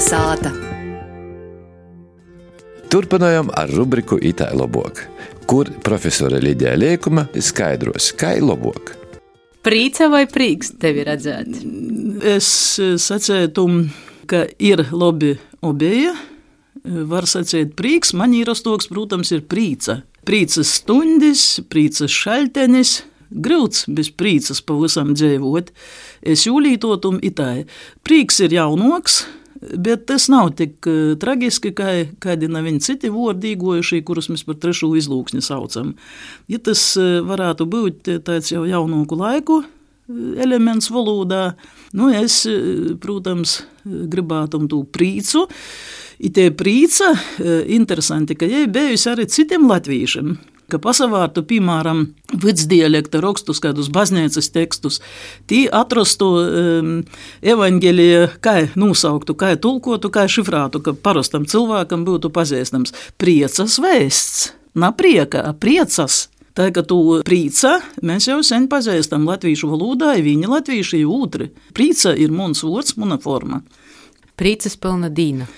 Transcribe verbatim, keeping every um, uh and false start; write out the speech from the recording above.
Kalnasāta. Turpinājam ar rubriku Itai lobuok, kur profesore Lidija Liekuma skaidros, kai lobuok. Prīca vai prīks tevi redzēt? Es sacētu, ka ir labi obeja. Var sacēt prīks, man īrastoks, protams, ir prīca. Prīcas stundis, prīcas šaltenis. Grūts bez prīcas pavisam dzīvot. Es jūlītotum itai. Prīks ir jaunoks, bet tas nav tik uh, tragiski, kā kādi nav viņi citi vārdi īgojušie, kurus mēs par trešo izlūksni saucam. Ja tas uh, varētu būt tāds jau jaunoku laiku elements valodā, nu es, uh, protams, gribātum tū prīcu. I tie prīca, uh, interesanti, ka jai bijusi arī citiem latvīšiem, ka pasavārtu, piemēram, vidsdialekta rakstus, kādus baznīcas tekstus, tī atrastu um, evaņģelija, kā nosauktu, kā tulkotu, kā šifrātu, ka parastam cilvēkam būtu pazīstams. Priecas vēsts, na prieka, a priecas. Tā, ka tu prīca, mēs jau sen pazīstam latvīšu valodā, viņi latvīši ir ūtri. Prīca ir muns vārds, muna forma. Prīcas pilna dīna.